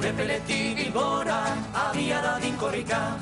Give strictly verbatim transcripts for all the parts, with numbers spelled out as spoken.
Urepeletik Bilbora, abiara din korrika,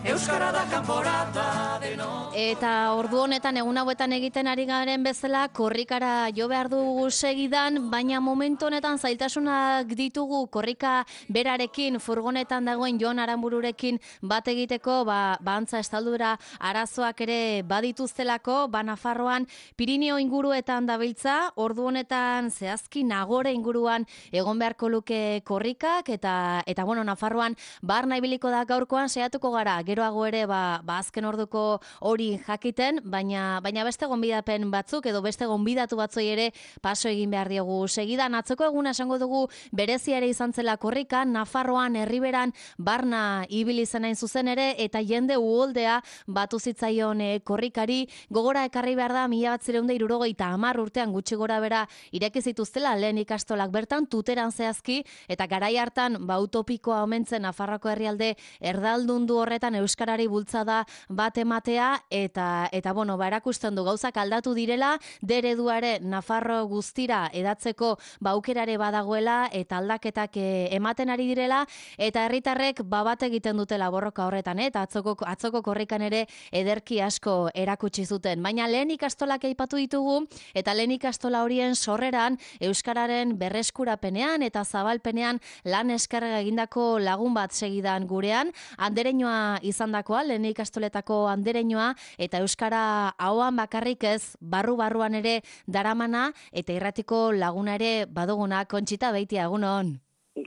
euskara da kanporata deno. Eta ordu honetan egun hauetan egiten ari garen bezala korrikara jo behar dugu segidan, baina momentu honetan zailtasunak ditugu korrika berarekin, furgonetan dagoen Jon Aranbururekin bat egiteko, ba, bantza estaldura arazoak ere badituztelako, ba Nafarroan Pirineo inguruetan dabiltza, ordu honetan zehazki Nagore inguruan egon beharko luke korrikak, eta, eta bueno, Nafarroan barna ibiliko da gaurkoan, saiatuko gara, geroago ere ba, ba azken orduko hori jakiten, baina baina beste gonbidapen batzuk edo beste gonbidatu batzoi ere paso egin behar diogu. Segidan atzoko eguna esango dugu berezia ere izan zela korrika, Nafarroan, Erriberan, barna ibili zen hain zuzen ere, eta jende uholdea batu zitzaion e, korrikari, gogora ekarri behar da mila batzireun da hirurogeita hamar urtean gutxi gora bera ireki zituztela lehen ikastolak bertan, tuteran zehazki, eta garai hartan ba utopikoa omentzen Nafarroako herrialde erdaldundu horretan euskarari bultzada bat ematea, eta eta bueno, ba erakusten du gauzak aldatu direla, dereduare Nafarro guztira edatzeko ba aukerare badagoela eta aldaketak e, ematen ari direla, eta herritarrek ba bat egiten dutela borroka horretan, eta atzoko atzoko korrikan ere ederki asko erakutsi zuten. Baina lehen ikastolak aipatu ditugu, eta lehen ikastola horien sorreran euskararen berreskurapenean eta zabalpenean lan eskerga egindako lagun bat segidan gurean, andereñoa izandakoa, lehen ikastoletako andereñoa, eta euskara ahoan bakarrik ez, barru-barruan ere daramana, eta irratiko laguna ere baduguna. Kontxita Beitia, egunon.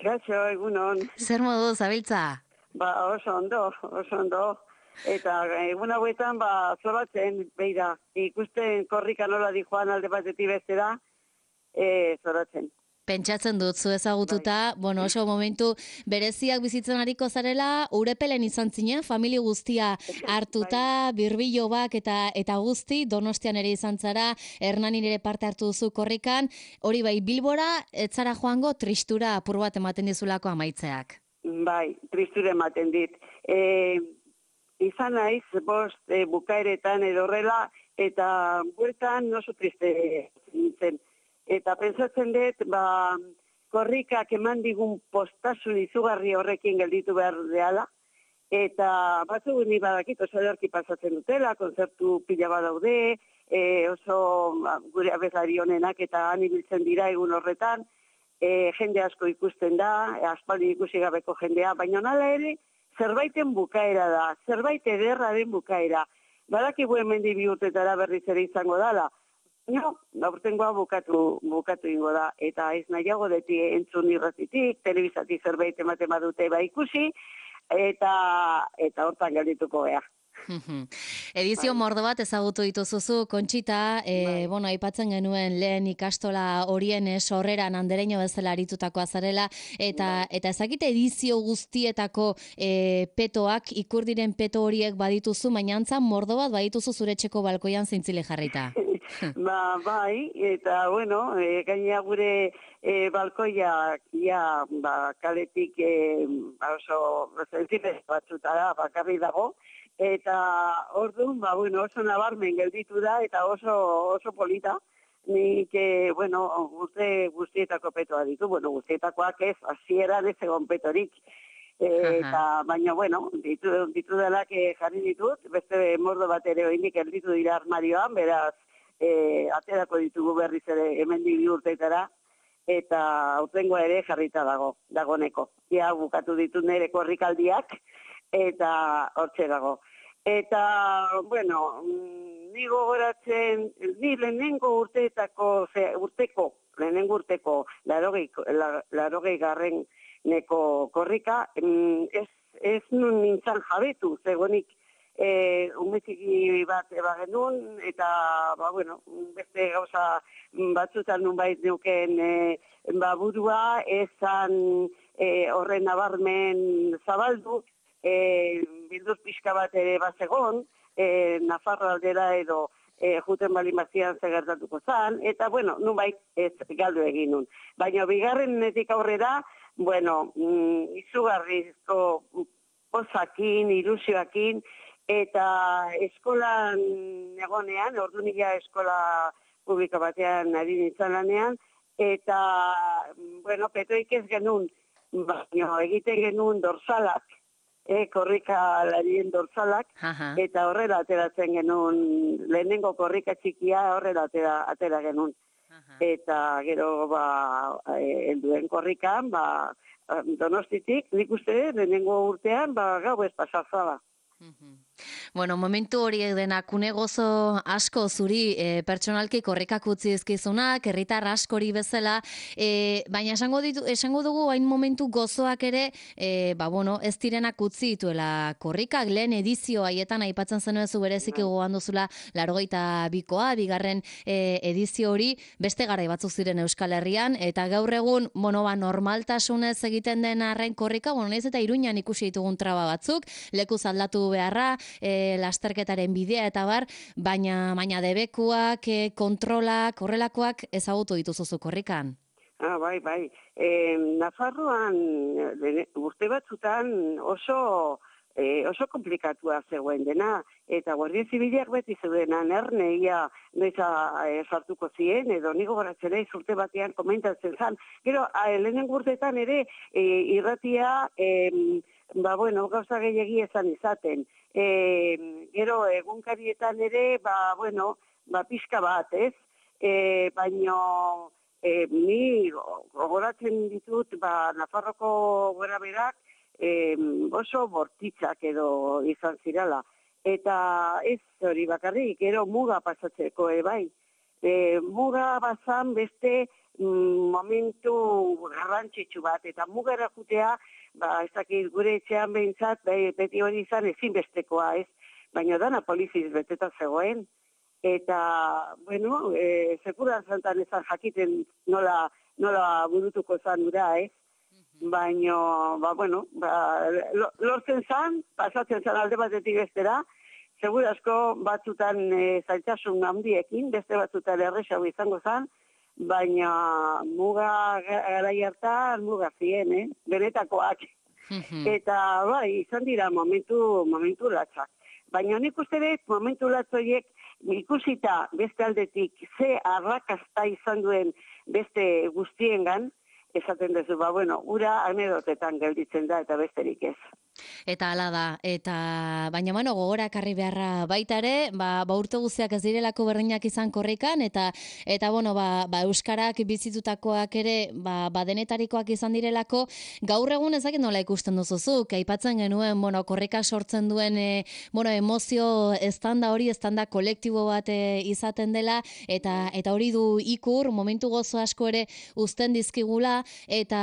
Gaixo, egunon. Zer modu zabiltza? Ba, oso ondo, oso ondo. Eta egun hauetan, ba, zoratzen, beira, ikusten korrika nola di joan alde batetik bestera, e, zoratzen. Pentsatzen dut, zu ezagututa, bueno, oso momentu bereziak bizitzen ariko zarela, Urepelen izan zinen, familia guztia hartuta, birbilobak eta eta guzti, Donostian ere izan zara, Hernanin ere parte hartu duzu korrikan, hori bai, Bilbora, ez zara joango tristura apur bat ematen dizulako amaitzeak. Bai, tristura ematen dit. E, izan naiz, bost, e, bukaeretan edo horrela, eta bueltan oso triste nintzen. Eta pentsatzen dut, ba, korrikak eman digun postasun izugarri horrekin gelditu behar deala, eta batzu ni badakit oso ederki pasatzen dutela, kontzertu pila badaude, e, oso ba, gure abeslari honenak eta han ibiltzen dira egun horretan, e, jende asko ikusten da, e, aspaldi ikusi gabeko jendea, baina nala ere zerbaiten bukaera da, zerbait ederra den bukaera. Badakigu hemendi bi urtetara berriz ere izango dala, no, aurtengoa bukatu, bukatu ingo da, eta ez nahiago deti entzun irratitik, telebizatik zerbait ematen badute ba ikusi, eta eta hortan geldituko gea. Edizio mordo bat ezagutu dituzuzu, Kontxita, e, bueno, aipatzen genuen lehen ikastola horien sorreran andereño bezala aritutakoa zarela, eta eta ezakite edizio guztietako e, petoak, ikur diren peto horiek badituzu, baina antzan mordo bat badituzu zure etxeko balkoian zintzile jarrita. Ba, bai, eta bueno, e, gaina gure e, balkoiak ja, ba, kaletik e, ba, oso zentzile batzutara bakarri dago, eta orduan, ba, bueno, oso nabarmen gelditu da, eta oso, oso polita, nik, e, bueno, guzti, guztietako petoa ditu, bueno, guztietakoak ez, hasieran ez egon petorik, e, eta, baina, bueno, ditu, ditu delak jarri ditut, beste mordo bat ere oindik gelditu dira armarioan, beraz, e, aterako ditugu berriz ere hemendik bi urteetara, eta aurtengoa ere jarrita dago, dagoneko. Ja, bukatu ditu nire korrikaldiak, eta hortxe dago. Eta, bueno, ni gogoratzen, ni lehenengo urteetako, ze, urteko, lehenengo urteko, larogei, larogei garren neko korrika, ez, ez nun nintzen jabetu, zegoenik, E, umetxiki bat eba genuen, eta, ba, bueno, beste gauza batzutan nunbait neuken e, ba, burua, ezan e, horren nabarmen zabaldu, e, bilduz pixka bat ere bazegon, e, Nafarro aldera edo e, juten bali mazian zegertatuko zan, eta, bueno, nunbait ez galdu egin nun. Baina, bigarren netik aurrera, bueno, mm, izugarrizko pozakin, ilusioakin, eta eskolan egonean, ordu nila eskola publiko batean ari nintzen lanean, eta, bueno, petoik ez genuen baina egiten genuen dorsalak, e, korrikalarien dorsalak, Aha. eta horrela ateratzen genuen, lehenengo korrika txikia horrela atera, atera genuen. Eta gero, ba, e, helduen korrikan, ba, Donostitik, nik uste, lehenengo urtean, ba, gau ez pasazaba. Bueno, momentu horiek denak une gozo asko zuri e, pertsonalki korrikak utzi ezkizunak, herritar askori bezala, e, baina esango, ditu, esango dugu hain momentu gozoak ere, e, ba, bueno, ez direnak utzi dituela korrikak, lehen edizio haietan aipatzen zenuen zu bereziki gogoan duzula largoita bikoa, bigarren e, edizio hori, beste garai batzuk ziren Euskal Herrian, eta gaur egun, bueno, ba, normaltasunez egiten den arren korrika, bueno, naiz eta Iruñan ikusi ditugun traba batzuk, lekuz aldatu beharra, e, lasterketaren bidea eta bar, baina baina debekuak, e, kontrolak, horrelakoak ezagutu dituzu korrikan. Ah, bai, bai. E, Nafarroan urte batzutan oso e, oso komplikatua zegoen dena, eta Guardia Zibilak beti zeudenan erneia noiza e, sartuko ziren, edo nigo goratzera urte batean komentatzen zan. Gero, lehenengo urteetan ere e, irratia e, ba, bueno, gauza gehiagi ezan izaten. E, gero, egunkarietan ere, ba, bueno, ba, pixka bat, ez? E, baino, e, ni gogoratzen ditut, ba, Nafarroko gora berak, e, oso bortitzak edo izan zirala. Eta ez hori bakarrik, gero muga pasatzeko, e, bai. E, muga bazan beste mm, momentu garrantzitsu bat, eta mugara jutea, ba, ez dakit gure etxean behintzat, beti hori izan ezinbestekoa, ez? Baina dana poliziz beteta zegoen, eta, bueno, e, sekuran zantan ezan jakiten nola, nola burutuko zan ura, ez? Baina, ba, bueno, ba, lortzen zan, pasatzen zan alde batetik bestera, segur asko batzutan e, zailtasun handiekin, beste batzutan erresago izango zan, baina muga garai hartan muga zien, eh? Benetakoak. Eta bai, izan dira momentu, momentu latzak. Baina nik uste dut momentu latzoiek ikusita beste aldetik ze arrakasta izan duen beste guztiengan, esaten duzu, ba, bueno, ura anedotetan gelditzen da eta besterik ez. Eta hala da, eta baina bueno, gogora ekarri beharra baita ere, ba, ba urte guztiak ez direlako berdinak izan korrikan, eta eta bueno, ba, ba euskarak bizitutakoak ere, ba, ba denetarikoak izan direlako, gaur egun ezakit nola ikusten duzuzuk, aipatzen genuen, bueno, korrika sortzen duen, e, bueno, emozio estanda hori, estanda kolektibo bat e, izaten dela, eta eta hori du ikur, momentu gozo asko ere uzten dizkigula, eta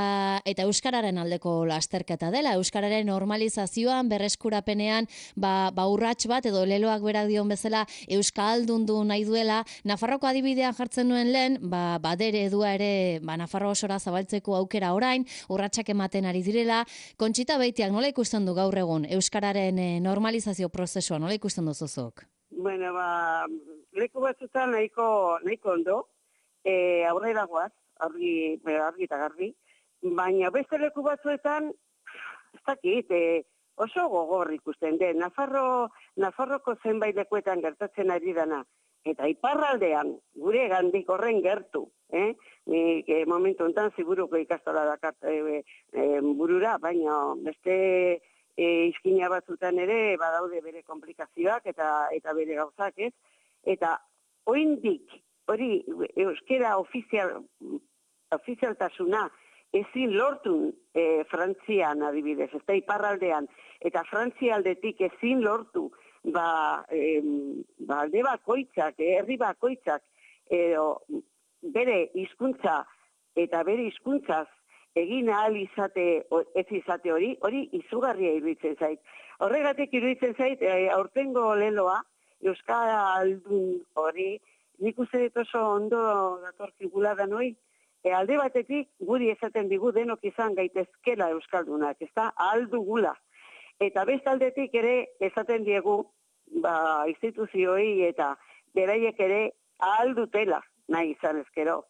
eta euskararen aldeko lasterketa dela, euskararen normalizazioan, berreskurapenean, ba, ba urrats bat, edo leloak berak dion bezala, euskaldundu nahi duela, Nafarroko adibidean jartzen nuen lehen, ba, badere edua ere, ba, Nafarro osora zabaltzeko aukera orain, urratsak ematen ari direla, Kontxita Beitiak nola ikusten du gaur egun, euskararen eh, normalizazio prozesua, nola ikusten duzuzuk? Bueno, ba, leku batzutan nahiko, nahiko ondo, e, aurrera goaz, argi, argi eta garbi, baina beste leku batzuetan, ez dakit, e, oso gogor ikusten den, Nafarro, Nafarroko zenbait lekuetan gertatzen ari dana, eta iparraldean, gure gandik horren gertu, eh? Nik e, momentu enten ziburuko ikastola dakart e, e, burura, baina beste e, izkina batzutan ere badaude bere komplikazioak eta eta bere gauzak, ez? Eta oraindik hori euskera ofizial, ofizialtasuna ezin lortu e, Frantzian adibidez, ez da iparraldean, eta Frantzialdetik ezin lortu, ba, e, ba alde bakoitzak, herri bakoitzak, edo bere hizkuntza eta bere hizkuntzaz egin ahal izate, ez izate hori, hori izugarria iruditzen zait. Horregatik iruditzen zait, e, aurtengo leloa, euskaldun hori, nik uste dut oso ondo datorkigula da noi, E, alde batetik guri esaten digu denok izan gaitezkela euskaldunak, ez da, ahal dugula. Eta beste aldetik ere esaten diegu, ba, instituzioi eta beraiek ere ahal dutela nahi izan ezkero.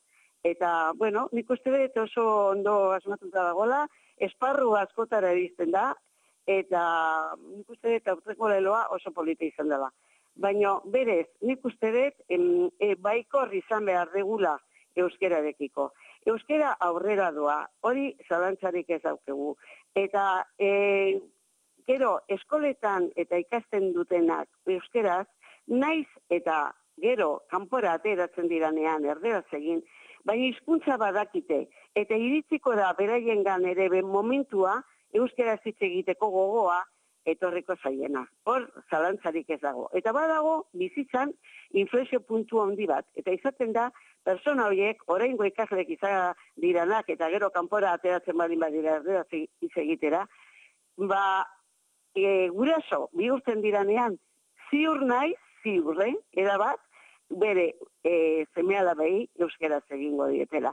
Eta, bueno, nik uste dut oso ondo asmatuta dagoela, esparru askotara erizten da, eta nik uste dut aurreko leloa oso polita izan dela. Baina berez, nik uste dut em, e, baikor izan behar degula euskerarekiko. euskera aurrera doa, hori zalantzarik ez daukegu. Eta e, gero eskoletan eta ikasten dutenak euskeraz, naiz eta gero kanpora ateratzen diranean erderaz egin, baina hizkuntza badakite, eta iritziko da beraiengan ere ben momentua euskaraz hitz egiteko gogoa etorriko zaiena. Hor, zalantzarik ez dago. Eta badago, bizitzan, inflexio puntu handi bat. Eta izaten da, persona horiek, oraingo ikaslek izan diranak, eta gero kanpora ateratzen badin badira erderaz hitz egitera, ba, e, guraso, bihurtzen diranean, ziur naiz, ziurre, erabat, bere e, seme-alabei euskeraz egingo dietela.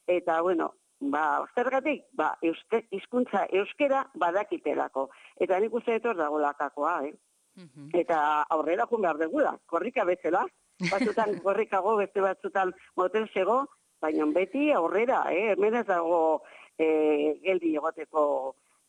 Eta, bueno, ba, zergatik, ba, euske, hizkuntza euskera badakitelako. Eta nik uste etor dago lakakoa, eh? Uh-huh. Eta aurrera jun behar degula, korrika bezala, batzutan korrikago, beste batzutan motelsego, baina beti aurrera, eh? Hemen ez dago eh, geldi egoteko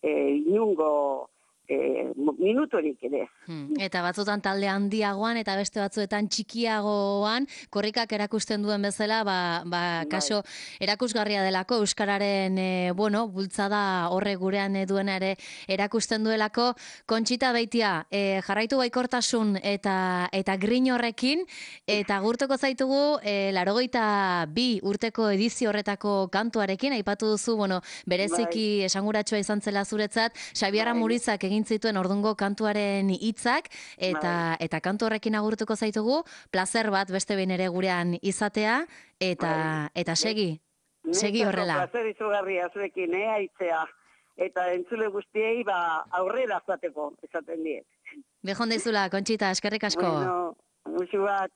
eh, inungo E, minutorik ere. Hmm. Eta batzutan talde handiagoan eta beste batzuetan txikiagoan korrikak erakusten duen bezala, ba, ba kaso erakusgarria delako euskararen e, bueno, bultzada horre gurean duena ere erakusten duelako. Kontxita Beitia, e, jarraitu baikortasun eta eta grin horrekin, eta gurtuko zaitugu e, laurogeita bi urteko edizio horretako kantuarekin, aipatu duzu, bueno, bereziki bai. Esanguratsua izan zela zuretzat, Xabier Amurizak egin zituen ordungo kantuaren hitzak, eta bai. Eta kantu horrekin agurtuko zaitugu, plazer bat beste behin ere gurean izatea, eta bai. Eta segi, ne, segi horrela. Plazer izugarria zuekin, eh, aitzea, eta entzule guztiei ba, aurrera zateko, esaten diet. Bejon deizula, Kontxita, eskerrik asko. Bueno, musu bat.